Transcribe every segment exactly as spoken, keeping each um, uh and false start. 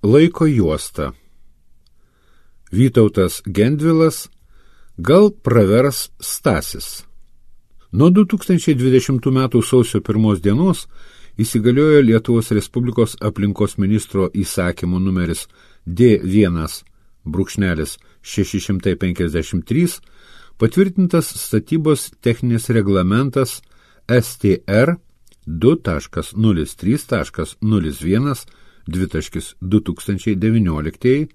Laiko juosta. Vytautas Gendvilas. Gal pravers Stasis. Nuo du tūkstančiai dvidešimtų metų sausio pirmos dienos įsigaliojo Lietuvos Respublikos aplinkos ministro įsakymo numeris D vienas šeši šimtai penkiasdešimt trys patvirtintas statybos techninis reglamentas S T R du taškas nulis trys taškas nulis vienas du tūkstančiai devynioliktieji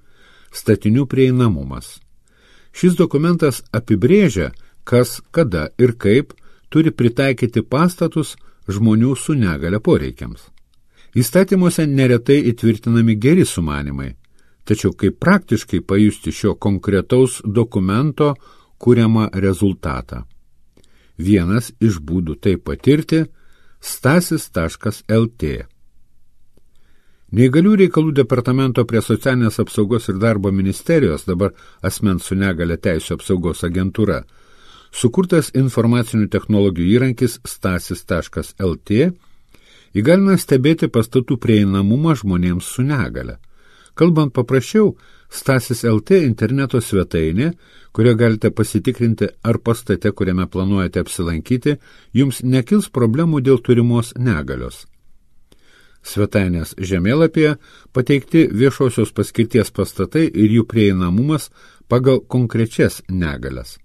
statinių prieinamumas. Šis dokumentas apibrėžia, kas, kada ir kaip turi pritaikyti pastatus žmonių su negalia poreikiams. Įstatymuose neretai įtvirtinami geri sumanimai, tačiau kaip praktiškai pajusti šio konkretaus dokumento kuriamą rezultatą. Vienas iš būdų tai patirti – stasis taškas L T. Neįgalių reikalų departamento prie socialinės apsaugos ir darbo ministerijos, dabar asmens su negalia teisių apsaugos agentūra, sukurtas informacinių technologijų įrankis stasis taškas L T įgalina stebėti pastatų prieinamumą žmonėms su negalia. Kalbant paprasčiau, Stasis L T interneto svetainė, kurioje galite pasitikrinti, ar pastate, kuriame planuojate apsilankyti, jums nekils problemų dėl turimos negalios. Svetainės žemėlapyje pateikti viešosios paskirties pastatai ir jų prieinamumas pagal konkrečias negalias.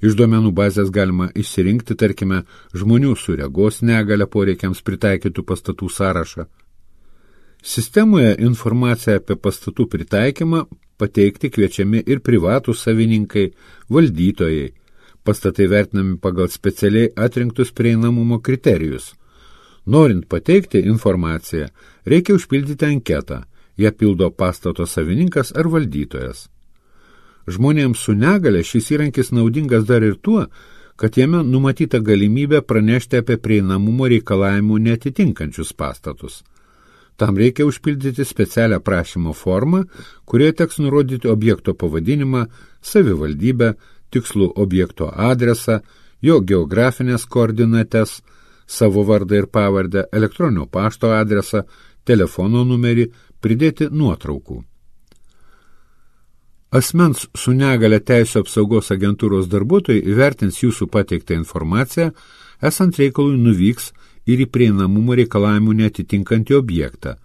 Iš duomenų bazės galima išsirinkti, tarkime, žmonių su regos negalia poreikiams pritaikytų pastatų sąrašą. Sistemoje informaciją apie pastatų pritaikymą pateikti kviečiami ir privatūs savininkai, valdytojai. Pastatai vertinami pagal specialiai atrinktus prieinamumo kriterijus. Norint pateikti informaciją, reikia užpildyti anketą. Ją pildo pastato savininkas ar valdytojas. Žmonėms su negalia šis įrankis naudingas dar ir tuo, kad jame numatyta galimybė pranešti apie prieinamumo reikalavimų neatitinkančius pastatus. Tam reikia užpildyti specialią prašymo formą, kurioje teks nurodyti objekto pavadinimą, savivaldybę, tikslų objekto adresą, jo geografinės koordinates, savo vardą ir pavardę, elektroninio pašto adresą, telefono numerį, pridėti nuotraukų. Asmens su negalia teisių apsaugos agentūros darbuotojai įvertins jūsų pateiktą informaciją, esant reikalui nuvyks ir į prieinamumo reikalavimų neatitinkantį objektą,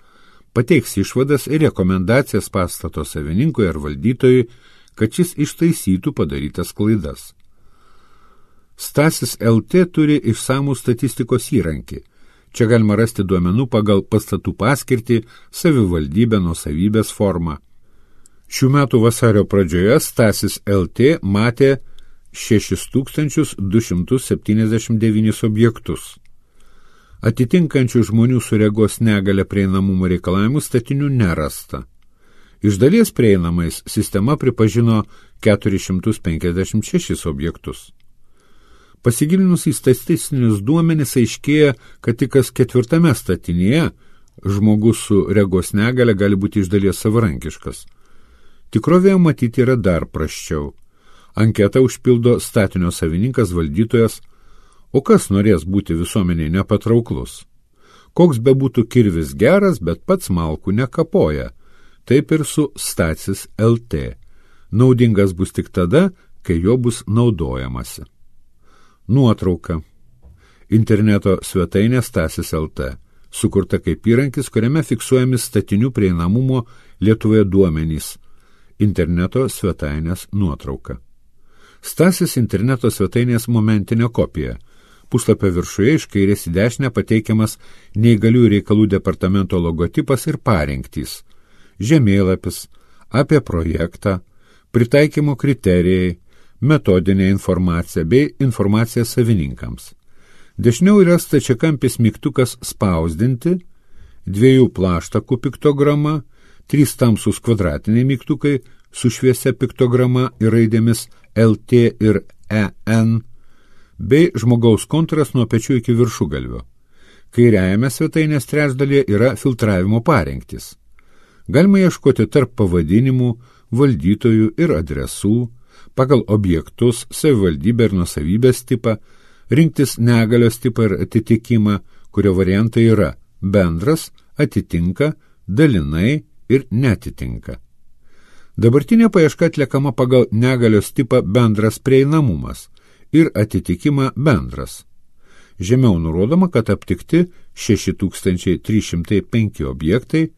pateiks išvadas ir rekomendacijas pastato savininkui ar valdytojui, kad šis ištaisytų padarytas klaidas. Stasis L T turi išsamų statistikos įrankį. Čia galima rasti duomenų pagal pastatų paskirtį, savivaldybę, nuosavybės formą. Šių metų vasario pradžioje Stasis L T matė šešis tūkstančius du šimtus septyniasdešimt devynis objektus. Atitinkančių žmonių su regos negalia prieinamumo reikalavimų statinių nerasta. Iš dalies prieinamais sistema pripažino keturis šimtus penkiasdešimt šešis objektus. Pasigilinus į statistinius duomenis aiškėja, kad tik kas ketvirtame statinyje žmogus su regos negalia gali būti iš dalies savarankiškas. Tikrovėje matyti yra dar prasčiau. Anketą užpildo statinio savininkas, valdytojas, o kas norės būti visuomeniai nepatrauklus? Koks bebūtų kirvis geras, bet pats malkų nekapoja. Taip ir su Stasis L T. Naudingas bus tik tada, kai jo bus naudojamasi. Nuotrauka. Interneto svetainė Stasis L T. Sukurta kaip įrankis, kuriame fiksuojami statinių prieinamumo Lietuvoje duomenys. Interneto svetainės nuotrauka. Stasis interneto svetainės momentinė kopija. Puslapio viršuje iš kairės į dešinę pateikiamas neįgaliųjų reikalų departamento logotipas ir parinktys. Žemėlapis, apie projektą, pritaikymo kriterijai, metodinė informacija bei informacija savininkams. Dešiniau yra stačiakampis mygtukas spausdinti, dviejų plaštakų piktograma, trys tamsūs kvadratiniai mygtukai su šviesia piktograma ir raidėmis L T ir E N, bei žmogaus kontūras nuo pečių iki viršugalvio. Kairiajame svetainės trečdalyje yra filtravimo parengtis. Galima ieškoti tarp pavadinimų, valdytojų ir adresų, pagal objektus, savivaldybę ir nuosavybės tipą, rinktis negalios tipą ir atitikimą, kurio variantai yra bendras, atitinka, dalinai, ir netitinka. Dabartinė paieška atliekama pagal negalios tipą bendras prieinamumas ir atitikimą bendras. Žemiau nurodoma, kad aptikti šeši tūkstančiai trys šimtai penki objektai,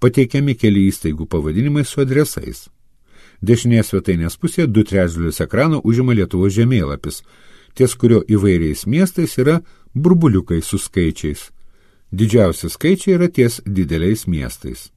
pateikiami keli įstaigų pavadinimai su adresais. Dešinėje svetainės pusėje du trečdalius ekrano užima Lietuvos žemėlapis, ties kurio įvairiais miestais yra burbuliukai su skaičiais. Didžiausi skaičiai yra ties dideliais miestais.